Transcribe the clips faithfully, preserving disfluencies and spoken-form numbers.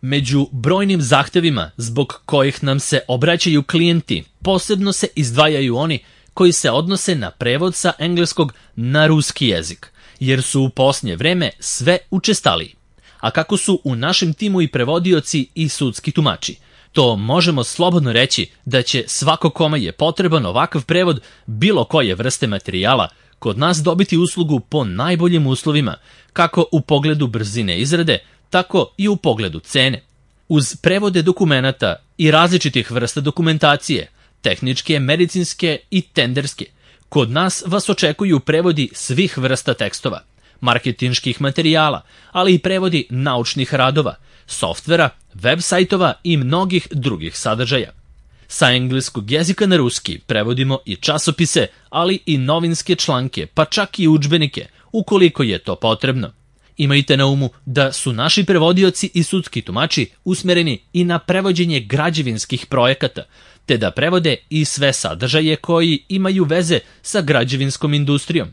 Među brojnim zahtevima zbog kojih nam se obraćaju klijenti, posebno se izdvajaju oni koji se odnose na prevod sa engleskog na ruski jezik, jer su u posljednje vreme sve učestaliji. A kako su u našem timu i prevodioci i sudski tumači, to možemo slobodno reći da će svako kome je potreban ovakav prevod bilo koje vrste materijala kod nas dobiti uslugu po najboljim uslovima, kako u pogledu brzine izrade, tako i u pogledu cene. Uz prevode dokumenata i različitih vrsta dokumentacije, tehničke, medicinske i tenderske, kod nas vas očekuju prevodi svih vrsta tekstova, marketinških materijala, ali i prevodi naučnih radova, softvera, web sajtova i mnogih drugih sadržaja. Sa engleskog jezika na ruski prevodimo i časopise, ali i novinske članke, pa čak i udžbenike, ukoliko je to potrebno. Imajte na umu da su naši prevodioci i sudski tumači usmereni i na prevođenje građevinskih projekata, te da prevode i sve sadržaje koji imaju veze sa građevinskom industrijom.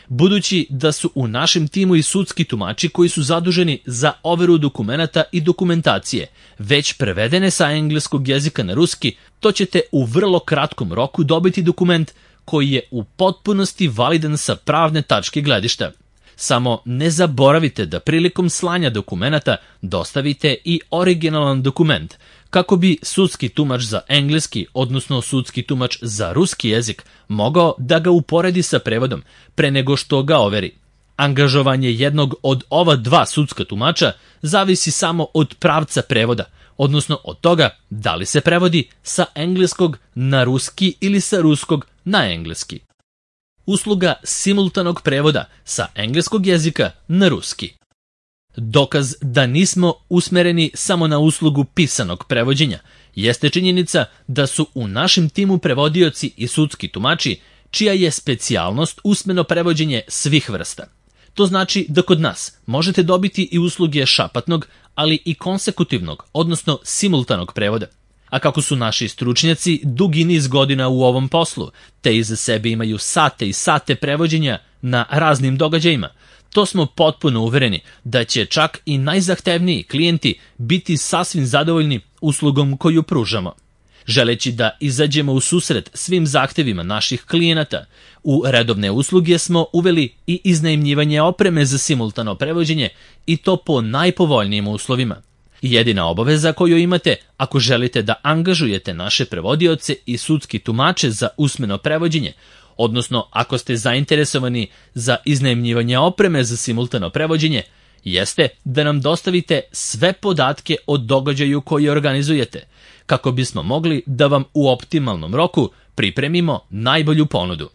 Budući da su u našem timu i sudski tumači koji su zaduženi za overu dokumenata i dokumentacije već prevedene sa engleskog jezika na ruski, to ćete u vrlo kratkom roku dobiti dokument koji je u potpunosti validan sa pravne tačke gledišta. Samo ne zaboravite da prilikom slanja dokumenata dostavite i originalan dokument, kako bi sudski tumač za engleski, odnosno sudski tumač za ruski jezik, mogao da ga uporedi sa prevodom pre nego što ga overi. Angažovanje jednog od ova dva sudska tumača zavisi samo od pravca prevoda, odnosno od toga da li se prevodi sa engleskog na ruski ili sa ruskog na engleski. Usluga simultanog prevoda sa engleskog jezika na ruski. Dokaz da nismo usmereni samo na uslugu pisanog prevođenja jeste činjenica da su u našem timu prevodioci i sudski tumači čija je specijalnost usmeno prevođenje svih vrsta. To znači da kod nas možete dobiti i usluge šapatnog, ali i konsekutivnog, odnosno simultanog prevoda. A kako su naši stručnjaci dugi niz godina u ovom poslu, te iza sebe imaju sate i sate prevođenja na raznim događajima, to smo potpuno uvereni da će čak i najzahtevniji klijenti biti sasvim zadovoljni uslugom koju pružamo. Želeći da izađemo u susret svim zahtevima naših klijenata, u redovne usluge smo uveli i iznajmljivanje opreme za simultano prevođenje i to po najpovoljnijim uslovima. Jedina obaveza koju imate ako želite da angažujete naše prevodioce i sudski tumače za usmeno prevođenje, odnosno ako ste zainteresovani za iznajmljivanje opreme za simultano prevođenje, jeste da nam dostavite sve podatke o događaju koji organizujete, kako bismo mogli da vam u optimalnom roku pripremimo najbolju ponudu.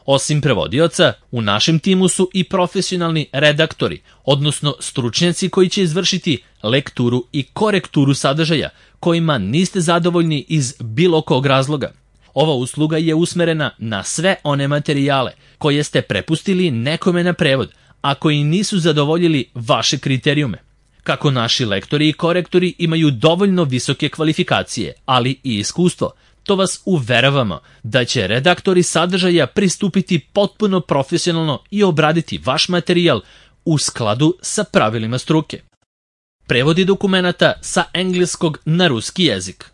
Osim prevodioca, u našem timu su i profesionalni redaktori, odnosno stručnjaci koji će izvršiti lekturu i korekturu sadržaja kojima niste zadovoljni iz bilo kog razloga. Ova usluga je usmerena na sve one materijale koje ste prepustili nekome na prevod, a koji nisu zadovoljili vaše kriterijume. Kako naši lektori i korektori imaju dovoljno visoke kvalifikacije, ali i iskustvo, to vas uveravamo da će redaktori sadržaja pristupiti potpuno profesionalno i obraditi vaš materijal u skladu sa pravilima struke. Prevodi dokumenata sa engleskog na ruski jezik.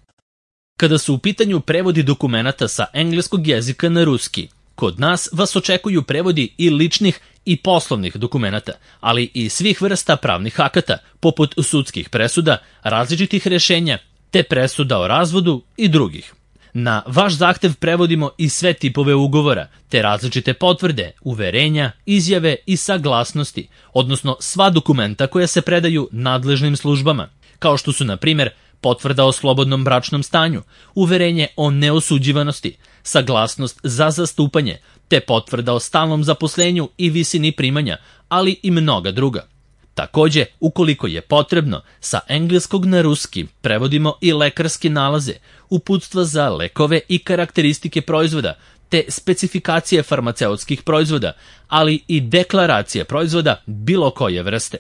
Kada su u pitanju prevodi dokumenata sa engleskog jezika na ruski, kod nas vas očekuju prevodi i ličnih i poslovnih dokumenata, ali i svih vrsta pravnih akata, poput sudskih presuda, različitih rješenja, te presuda o razvodu i drugih. Na vaš zahtev prevodimo i sve tipove ugovora, te različite potvrde, uverenja, izjave i saglasnosti, odnosno sva dokumenta koja se predaju nadležnim službama, kao što su, na primjer, potvrda o slobodnom bračnom stanju, uverenje o neosuđivanosti, saglasnost za zastupanje, te potvrda o stalnom zaposlenju i visini primanja, ali i mnoga druga. Takođe, ukoliko je potrebno, sa engleskog na ruski prevodimo i lekarske nalaze, uputstva za lekove i karakteristike proizvoda, te specifikacije farmaceutskih proizvoda, ali i deklaracije proizvoda bilo koje vrste.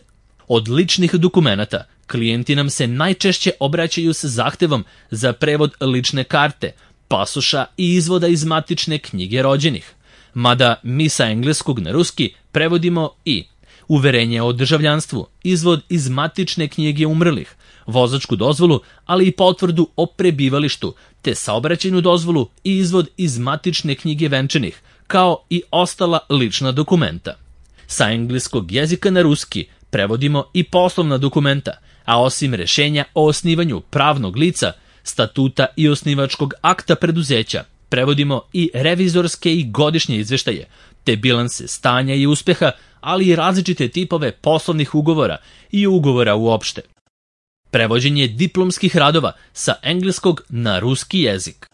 Od ličnih dokumenata, klijenti nam se najčešće obraćaju sa zahtevom za prevod lične karte, pasoša i izvoda iz matične knjige rođenih. Mada mi sa engleskog na ruski prevodimo i uverenje o državljanstvu, izvod iz matične knjige umrlih, vozačku dozvolu, ali i potvrdu o prebivalištu, te saobraćajnu dozvolu i izvod iz matične knjige venčanih, kao i ostala lična dokumenta. Sa engleskog jezika na ruski prevodimo i poslovna dokumenta, a osim rešenja o osnivanju pravnog lica, statuta i osnivačkog akta preduzeća, prevodimo i revizorske i godišnje izveštaje, te bilanse stanja i uspeha, ali i različite tipove poslovnih ugovora i ugovora uopšte. Prevođenje diplomskih radova sa engleskog na ruski jezik.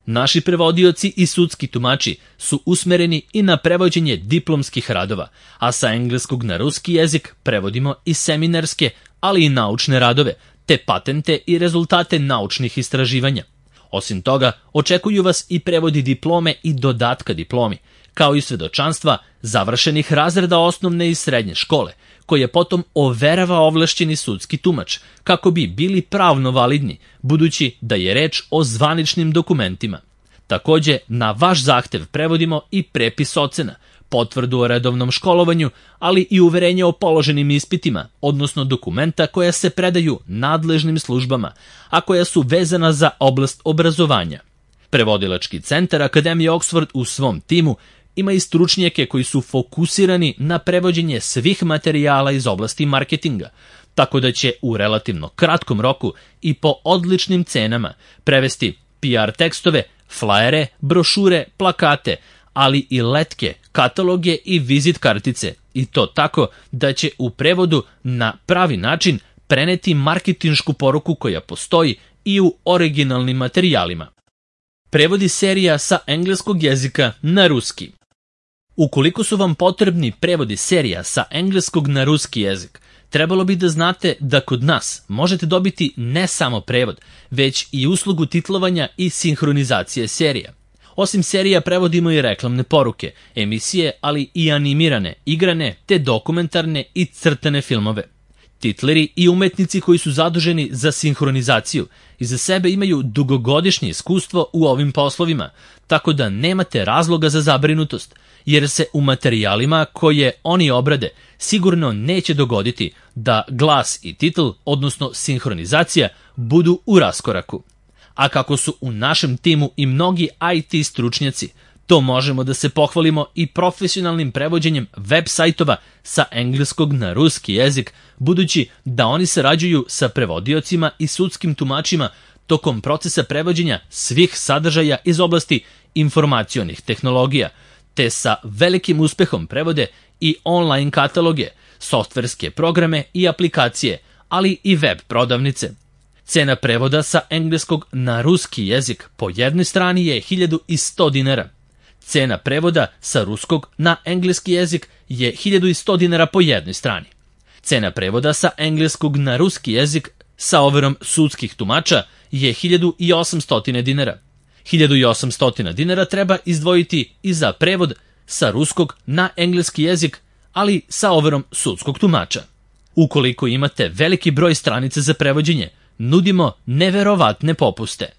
Naši prevodioci i sudski tumači su usmereni i na prevođenje diplomskih radova, a sa engleskog na ruski jezik prevodimo i seminarske, ali i naučne radove, te patente i rezultate naučnih istraživanja. Osim toga, očekuju vas i prevodi diplome i dodatka diplomi, kao i svedočanstva završenih razreda osnovne i srednje škole, koje potom overava ovlašćeni sudski tumač, kako bi bili pravno validni, budući da je reč o zvaničnim dokumentima. Takođe, na vaš zahtev prevodimo i prepis ocena, potvrdu o redovnom školovanju, ali i uverenje o položenim ispitima, odnosno dokumenta koja se predaju nadležnim službama, a koja su vezana za oblast obrazovanja. Prevodilački centar Akademije Oxford u svom timu ima i stručnjake koji su fokusirani na prevođenje svih materijala iz oblasti marketinga, tako da će u relativno kratkom roku i po odličnim cenama prevesti P R tekstove, flajere, brošure, plakate, ali i letke, kataloge i vizit kartice, i to tako da će u prevodu na pravi način preneti marketinšku poruku koja postoji i u originalnim materijalima. Prevodi serija sa engleskog jezika na ruski. Ukoliko su vam potrebni prevodi serija sa engleskog na ruski jezik, trebalo bi da znate da kod nas možete dobiti ne samo prevod, već i uslugu titlovanja i sinhronizacije serija. Osim serija prevodimo i reklamne poruke, emisije, ali i animirane, igrane, te dokumentarne i crtane filmove. Titleri i umetnici koji su zaduženi za sinhronizaciju iza sebe imaju dugogodišnje iskustvo u ovim poslovima, tako da nemate razloga za zabrinutost, jer se u materijalima koje oni obrade sigurno neće dogoditi da glas i titl, odnosno sinhronizacija, budu u raskoraku. A kako su u našem timu i mnogi I T stručnjaci, to možemo da se pohvalimo i profesionalnim prevođenjem web sajtova sa engleskog na ruski jezik, budući da oni sarađuju sa prevodiocima i sudskim tumačima tokom procesa prevođenja svih sadržaja iz oblasti informacionih tehnologija, te sa velikim uspehom prevode i online kataloge, softverske programe i aplikacije, ali i web prodavnice. Cena prevoda sa engleskog na ruski jezik po jednoj strani je hiljadu sto dinara. Cena prevoda sa ruskog na engleski jezik je hiljadu sto dinara po jednoj strani. Cena prevoda sa engleskog na ruski jezik sa overom sudskih tumača je hiljadu osamsto dinara. hiljadu osamsto dinara treba izdvojiti i za prevod sa ruskog na engleski jezik, ali sa overom sudskog tumača. Ukoliko imate veliki broj stranica za prevođenje, nudimo neverovatne popuste.